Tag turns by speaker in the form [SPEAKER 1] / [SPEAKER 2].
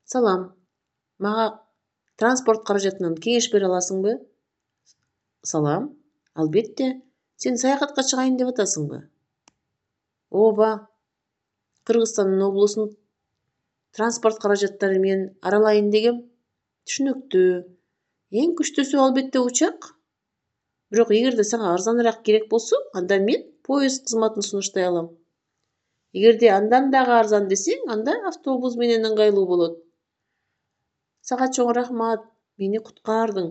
[SPEAKER 1] Салам. Мага транспорт каражатынан кеңеш бере аласыңбы? Салам. Албетте. Сен саякатка чыгайын деп атасыңбы? Ооба. Кыргызстандын облусун транспорт каражаттары менен аралайын дегем. Түшүнүктүү. Эң күчтүүсү албетте учак. Бирок эгерде сага арзаныраак керек болсо, анда мен поезд кызматын сунуштай алам. Эгерде андан дагы арзан десең, анда автобус менен ыңгайлуу болот. Сага чоң рахмат. Мени куткардың.